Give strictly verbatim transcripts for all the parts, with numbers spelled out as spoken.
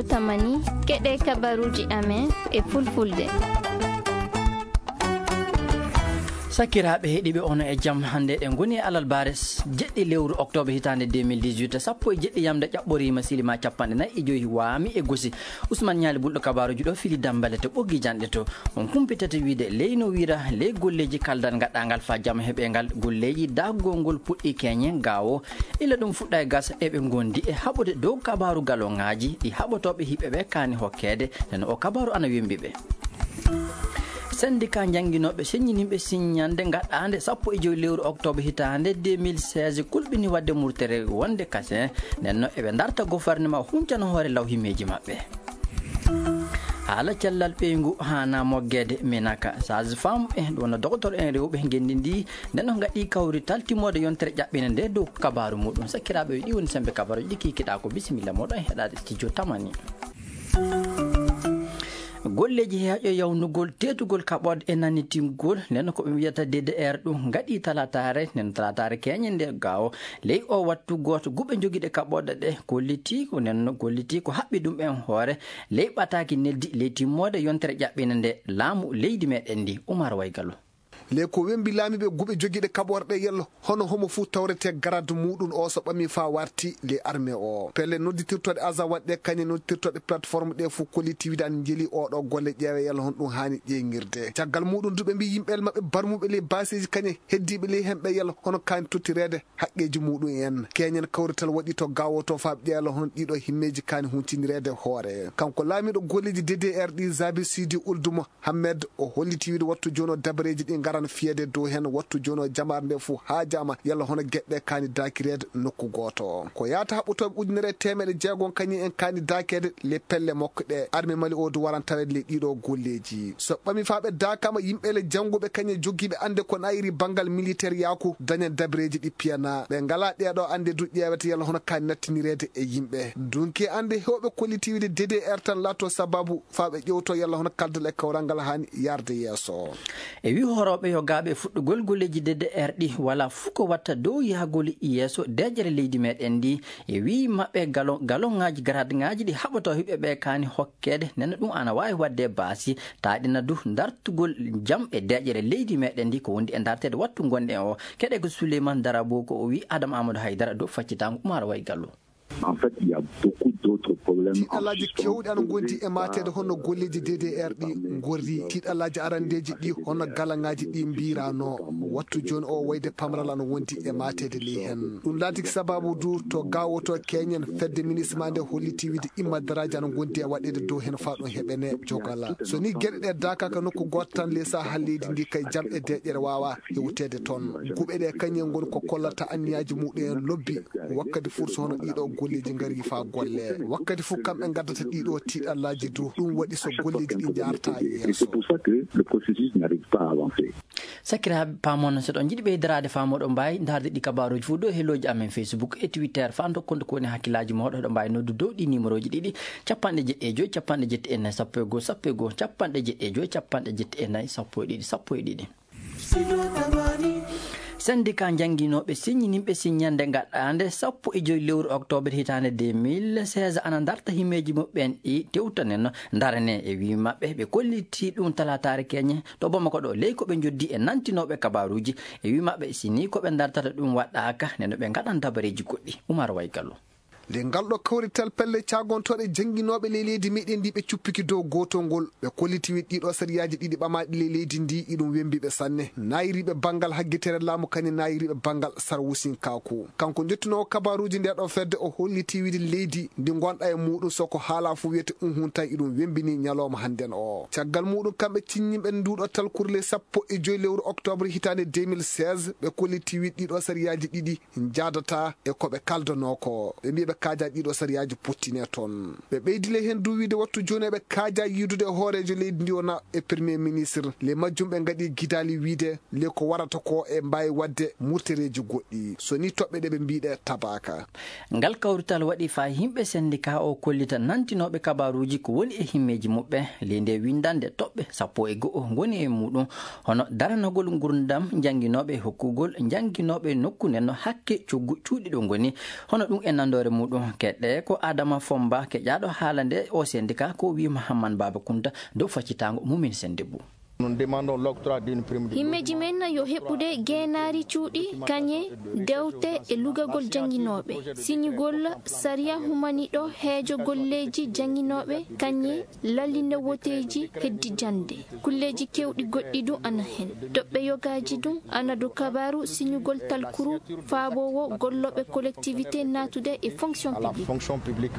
Tamani, keɗe kabaruuji amen e fulfulde. Sakiraaɓe heɗiiɓe, ono e jam. Hannde eɗen ngoni e alarbaare s-, jeɗɗi lewru oktoobre hitaande deux mille dix-huit, sappo e jeɗɗi yamde ƴaɓɓoriima, silima capanɗe nayi e joyi waami e gosi. Usman Ñaali Bulɗo kabaaruuji ɗo fili Dambale to ɓoggi janɗe to. On kumpitata wiide ley no wira ley golleeji kaldal gaɗɗangal faa jam heɓe ngal golleeji daagol ngol puɗɗi keñe gaawo. Ila ɗum fuɗɗa e gasa eɓe ngondi e haɓude dow kabaaru galoŋaaji ɗi haɓotooɓe hiɓɓe ɓe kaani hokkeede, nden o kabaaru ana wembi ɓe. Syndicat jannginooɓe seññininɓe siññande gaɗɗaande sappo e joyi lewru oktoobre hitaande deux mille seize kulɓini waɗde murtere wonde kasen, nden no eɓe darta gouvernement huncano hoore law himmeeji maɓɓe. Haala cellal ɓeyngu haana moggeede Minaka. Sage-femme e ɗum wona docteur en rewɓe ngenndi ndi, nden no ngaɗi kawrital timmoode yontere ƴaɓɓinde nde dow kabaaru muɗum. Sakiraaɓe, ɗi woni sembe kabaaruuji ɗi kikiɗaa ko. Bisimilla moɗon heɗaade studio Tamani. Golleeji heeƴo yawnugol teetugol kaɓorɗe e nannitingol, nden ko ɓe mbiyata D D R ɗum ngaɗi talataare, nden talataare keñe nde gaawo. Ley o wattu gooto guɓe jogiiɗe kaɓorɗe ɗe kolliti ko nden no golliti ko haɓɓi ɗum en hoore. Ley ɓataaki neldi ley timmoode yontere ƴaɓɓinde nde laamu leydi meɗen ndi, Umar Waygalu. Ley ko wembi laamiiɓe guɓe jogiiɗe kaɓorɗe yello, hono homo fuu tawrete garaad muɗum o so ɓami faa warti ley armée o. Pelle nodditirtoɗe Azawad ɗe kañe nodditirtoɗe plateforme ɗe fuu kolliti wiide an njeli oɗo golle ƴeewe yello hono ɗum haani ƴeeŋirde. Caggal muɗum du ɓe mbi yimɓe maɓɓe barmuɓe ley baaseeji kañe heddiiɓe ley hemɓe yello hono kaani tottireede haqqeeji muɗum en. Keñen kawrital waɗi to gaawo to faa ƴeelo hono ɗiɗo himmeeji kaani huntinireede hoore. Kanko laamiiɗo golleeji D D R ɗi Zabi Sidi Uldumo Hammed o holliti wiide wattu jooni o dabareeji ɗi ngaran fiyeede dow heen, wattu jooni o jamaare nde fof haajaama yalla hono geɗe kaani daakireede nokku gooto. Ko yaata haɓɓotooɓe ujunere e teemeɗe jeegom kañum en kaani daakeede le pelle makko ɗe. Armée Mali o du waran taweede le ɗiɗo golleeji. So ɓami faa ɓe daakaama yimɓe le jannguɓe kañum e jogiiɓe annde ko nayiri banngal militaire yaaku dañan dabareeji ɗi piyana. Ɓe ngalaa ɗeeɗo annde du ƴeewete yalla hono kaani nattinireede e yimɓe. Dunki annde heewɓe kolliti wiide D D R tan laatoo sababu faa ɓe ƴeewtoo yalla hono kaldal e kawral ngal haani yarde yeeso. E wii horooɓe yogaaɓe fuɗɗugol golleeji D D R ɗi, walaa fuu ko watta dow yahgol yeeso deeƴere leydi meɗen ndi. E wii maɓɓe galo-, galoŋaaji, garaadŋaaji ɗi haɓotoo hiɓɓe ɓe kaani hokkeede, nena ɗum ana waawi waɗde baasi, taaɗina du dartugol jam e deeƴere leydi meɗen ndi ko wondi e darteede wattu ngonɗen o. Keɗe ko Souleymane Darabo ko o wii Adama Amadou Haydara dow faccitango Umar Waygallo. En fait, il y a beaucoup d'autres problèmes. Tiiɗalaaji kewɗi ana ngondi e maateede hono golleeji D D R ɗi ngorri. Tiiɗalaaji arandeeji ɗi hono galaŋaaji ɗi mbiirano. Wattu jooni o wayde pamral ana wondi e maateede ley heen. Ɗum laatiki sababu du to gaawoto keñen fedde ministre ma nde holliti wiide immadaraaji ana ngondi e waɗeede dow heen faa ɗum heɓene jogala. So ni geɗe ɗe daakaaka nokku gooto tan ley sahaa leydi ndi kay jam e deeƴere waawa hewteede toon. Guɓe ɗe kañum en ngoni ko kollata anniyaaji muɗum en lobbi. Wakkati fuu so hono ɗiɗo golleeji ngari faa golle. Wakkati fuu kamɓe ngaddata ɗiɗo tiiɗallaaji du. Ɗum waɗi so golleeji ɗi njaarta yeeso. C'est pour ça que le processus n'arrive pas à avancer. Sakiraaɓe, paamono so ɗon njiɗi ɓeydaraade faamoɗo mbaawi ndaarde ɗi kabaaruuji fof dow helooji amen Facebook e Twitter faa ndokkon ko woni hakkillaaji mooɗo. Ɗo mbaawi noddu dow ɗi numéroji ɗiɗi, capanɗe jeɗɗi e joy, capanɗe jeɗɗi e nayi, sappo e goo, sappo e goo, capanɗe jeɗɗi e joy, capanɗe jeɗɗi e nayi, sappo e ɗiɗi, sappo e ɗiɗi. Syndicat jannginooɓe siññininɓe siññande gaɗɗaande sappo e joy lewru oktoobre hitaande deux mille seize ana ndarta himmeeji muɓɓen ɗi tewtanen no ndarane e wii maɓɓe ɓe kolliti ɗum talaataare keñe to Bamako ɗo ley ko ɓe njoddi e nantinooɓe kabaaruuji e wii maɓɓe si nii ko ɓe ndartata ɗum waɗɗaaka neno ɓe ngaɗan dabareeji goɗɗi. Umar Waygallo. Nde ngal ɗo kawrital pelle caagontooɗe jannginooɓe ley leydi meɗen ndi ɓe cuppiki dow gootol ngol, ɓe kolliti wiide ɗiɗo sariyaaji ɗiɗi ɓamaaɗi ley leydi ndi iɗum wembi ɓe sanne. Naayiriiɓe banngal haggitere laamu kañum naayiriiɓe banngal sarwusinkaaku. Kanko njottinoowo kabaaruuji nde ɗo fedde o holliti wiide leydi ndi ngonɗa e muɗum so ko haala fof wiyete unhun tan iɗum wembini ñalooma hannden o. Caggal muɗum kamɓe ciññinɓe nduɗo talkuru ley sappo e joy lewru oktoobre hitaande deux mille seize ɓe kolliti wiide ɗiɗo sariyaaji ɗiɗi njaadata e ko ɓe kaldanoo ko. Ɓe mbii ɓe kaajaa ɗiɗo sariyaaji pottine toon. Ɓe ɓeydile heen du wiide wattu jooni eɓe kaajaa yiidude e hooreejo leydi ndi wona e premier ministre. Le majjum ɓe ngaɗi gidaali wiide le ko warata ko e mbaawi waɗde murtereeji goɗɗi. So ni toɓɓe ɗe ɓe mbii ɗe tabaaka. Ngal kawrital waɗi faa yimɓe syndicat o kollita nantinooɓe kabaaruuji ko woni e himmeeji muɓɓe. Ley nde winndannde toɓɓe sappo e go'o ngoni e muɗum. Hono daranagol ngurndam jannginooɓe e hokkugol jannginooɓe nokku nden no hakke coggu cuuɗi ɗo ngoni. Hono ɗum e nandoore muɗum. Ɗum keɗɗe ko Adama Fomba keƴaaɗo haala nde o syndicat ko wi Mahamman Baba Kunta dow faccitaango Mumin Sendebou. Himmeeji men yo heɓude geenaari cuuɗi, kañe, dewte e lugagol jannginooɓe, siñugol sariya humaniiɗo heejo golleeji jannginooɓe, kañe, lallinde woteeji heddi jannde. Kulleeji keewɗi goɗɗi du ana hen. Toɓɓe yogaaji du ana dow kabaaru siñugol talkuru faaboowo gollooɓe collectivité naatude e fonction publique.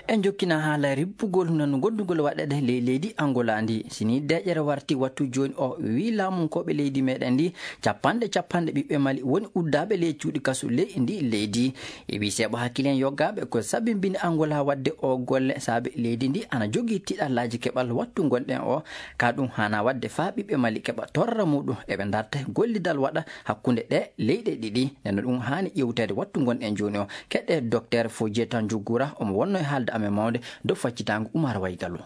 En jokkina haala rippugol nanu goddugol waɗeede ley leydi Angola ndi. Si ni deeƴere warti wattu jooni o, wi laamunkooɓe leydi meɗen ndi, capanɗe capanɗe ɓiɓɓe Mali woni uddaaɓe ley cuuɗi kasu ley ndi leydi. E wi seeɓa hakkilen yoggaaɓe ko sabimbini Angola waɗde o golle, saabe leydi ndi ana jogii tiiɗallaaji keɓal wattu ngonɗen o. Ka ɗum haana waɗde faa ɓiɓɓe Mali keɓa torra muɗum eɓe darta gollidal waɗa hakkunde ɗe leyɗe ɗiɗi. Nden no ɗum haani ƴewteede wattu ngonɗen jooni o. Keɗe Docteur Fodjé Tanjugura, omo wonno e haalde amen mawnde dow faccitaango Umar Waygalo.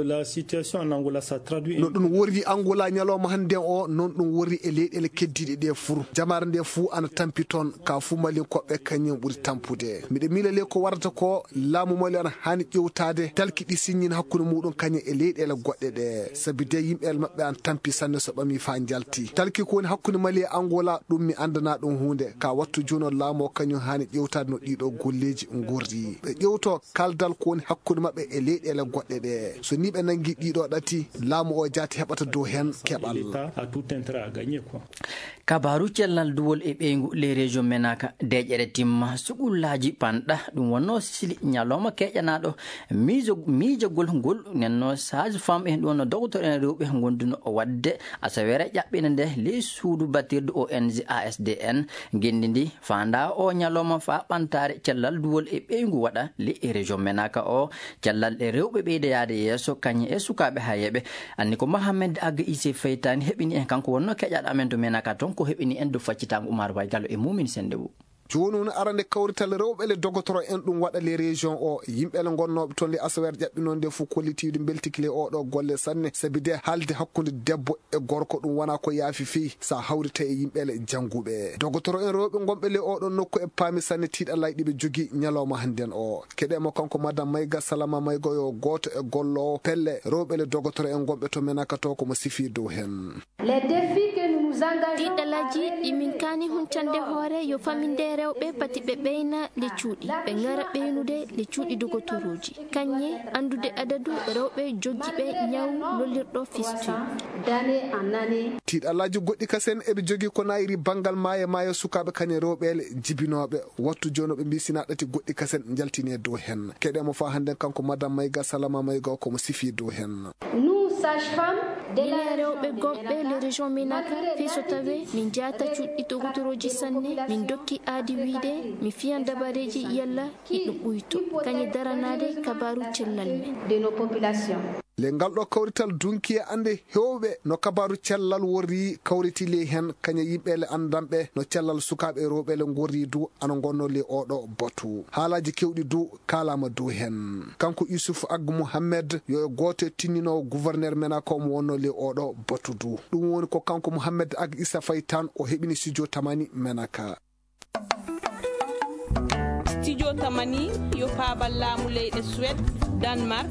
La situation en Angola, ça traduit No ɗum worri Angola ñalawma hannde o, noon ɗum worri e leyɗeele keddiiɗe ɗe fuu. Jamaare nde fuu ana tampi toon, ka fuu Malinkoɓe kañum ɓuri tampude. Miɗo miila le ko warata ko, laamu Mali ana haani ƴewtaade talki ɗi siññin hakkunde muɗum kañum e leyɗeele goɗɗe ɗe. Sabi de yimɓe maɓɓe ana tampi sanne so ɓami faa njalti. Talki ko woni hakkunde Mali e Angola, ɗum mi anndana ɗum huunde. Ka wattu jooni o laamu o kañum haani ƴewtaade no ɗiɗo golleeji ngorri. Ɓe ƴewto kaldal ko woni hakkunde maɓɓe e leyɗeele goɗɗe ɗe. So ni ɓe nanngi ɗiɗo ɗati, laamu o jaati heɓata dow hen keɓal. L'État a tout intérêt à gagner, quoi. Kabaaru cellal duwol e ɓeyngu ley région Menaka, deeƴere timma, sugullaaji panɗa, ɗum wonno sili ñalawma keƴanaaɗo miijo-, miijagol ngol nenno sage-femme en ɗum wonno dogotoro en rewɓe ngonduno waɗde asaweere ƴaɓɓina nde ley suudu batirdu O N G A S D N. Ngenndi ndi faanda o ñalawma faa ɓantaare cellal duwol e ɓeyngu waɗa ley région Menaka o. Cellal e rewɓe ɓeyda yaade yeeso, kañum e sukaaɓe hayeeɓe. Anni ko Mohamed Aga Ise Feytani heɓini en, kanko wonno keƴaaɗo amen to Menaka toon, ko heɓini en dow faccitaango Umar Waygalo e Mumin Sendebou. Jooni woni arande kawrital rewɓe le dogotoro en ɗum waɗa le région o. Yimɓe le gonnooɓe toon le asaweere ƴaɓɓinoonde fof kollitiiɗo mbeltiki le oɗo golle sanne, sabi de haalde hakkunde debbo e gorko ɗum wona ko yaafi fii, sa hawrita e yimɓe le jannguɓe. Dogotoro en rewɓe gonɓe le oɗo nokku e paami sanne tiiɗallaaji ɗi ɓe jogii ñalawma hannden o. Keɗe mo kanko Madame Mayga Salama Mayga yo gooto e golloowo pelle rewɓe le dogotoro en gonɓe to Menaka to ko mo sifii dow hen. Les défis que nous nous engageons à Tiiɗalaaji ɗi min kaani huncande hoore yo faminde rewɓe pati ɓe ɓeyna le cuuɗi, ɓe ngara ɓeynude le cuuɗi dogotorooji. Kañe anndude adadu rewɓe joggiiɓe ñaw lollirɗo fistule. D'année en année. Tiiɗalaaji goɗɗi kasen eɓe jogii ko nayri banngal maayo maayo sukaaɓe kañe rewɓe le jibinooɓe. Wattu jooni ɓe mbii sinaa ɗati goɗɗi kasen njaltinee dow hen. Keɗe mo faa hannden kanko Madame Mayga Salama Mayga ko mo sifii dow hen. Nous, sages-femmes de la Minen rewɓe gonɓe le région Menaka, fii so tawee min njaata cuuɗi dogotorooji sanne, min dokki aadi wiide mi fiyan dabareeji yalla hiɗum ɓuyto, kañe daranaade kabaaru cellal men. De nos populations. Le ngal ɗo kawrital dunki e annde heewɓe no kabaaru cellal worri kawriti ley hen, kañe yimɓe le anndanɓe no cellal sukaaɓe rewɓe le ngorri du ana ngonno ley oɗo batu. Haalaaji keewɗi du kaalaama dow hen. Kanko Yusuf Ag Mohamed yo e gooto e tinninoowo gouverneur Menaka o mo wonno ley oɗo batu du. Ɗum woni ko kanko Mohamed Ag Issa Faye Tan o heɓini studio Tamani Menaka. Studio Tamani yo paabal laamu leyɗe Suède, Danemark,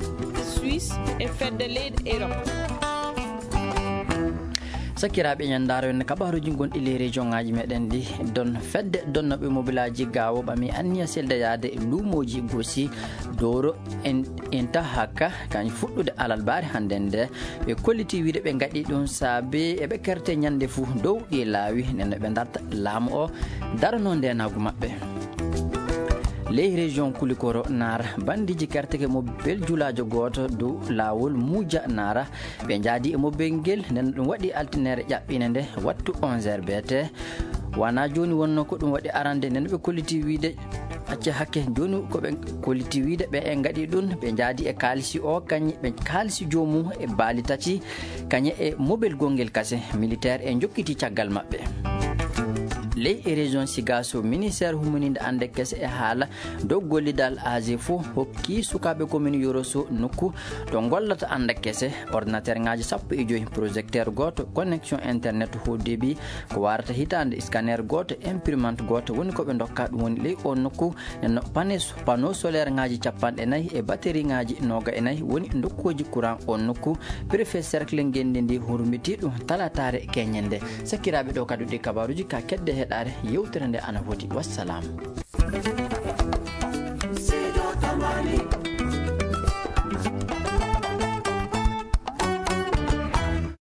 Suisse e fedde leyɗe Europe. Sakiraaɓe, ñanndaaro en kabaaruuji gonɗi ley région ŋaaji meɗen ɗi. Don fedde donnooɓe mobilaaji gaawo ɓami anniya seldayaade luumooji Gosi, Dooro, en, Intahaka, kañ fuɗɗude alarbaare hannden nde. Ɓe kolliti wiide ɓe ngaɗi ɗum saabe eɓe kerte ñannde fuu dow ɗi laawi, nden no ɓe darta laamu o daranoo ndeenaagu maɓɓe. Ley région Kulikoro Naara, banndiiji kerteke mo bel julaajo gooto dow laawol Muuja Naara. Ɓe njaadi e mobel ngel, nden ɗum waɗi altineere ƴaɓɓiinde nde wattu onze heures B T. Wona jooni wonno ko ɗum waɗi arande, nden ɓe kolliti wiide, acca hakke, jooni ko ɓe kolliti wiide ɓe en ngaɗi ɗum, ɓe njaadi e kaalisi o, kañe ɓe kaalisi joomum e baali tati, kañe e mobel gongel kase, militaire e jokkiti caggal maɓɓe. Ley e région Sigaso, ministère humininde annde kese e haala dow gollidal A G fo hokki sukaaɓe commune Yoroso nokku to gollata annde kese, ordinateur ŋaaji sappo e joy, projecteur gooto, connexion internet haut débit ko warata hitaande, scanner gooto, imprimante gooto woni ko ɓe ndokka ɗum woni ley o nokku. Nenno panes- panneau solaire ŋaaji capanɗe nayi e batterie ŋaaji nooga e nayi woni ndokkuuji courant o nokku. Préfet cercle ngenndi ndi hurmiti ɗum talataare keñende. Sakiraaɓe, ɗo kadi ɗi kabaruuji ka kedde heɗaare yewtere nde ana foti. Wassalam.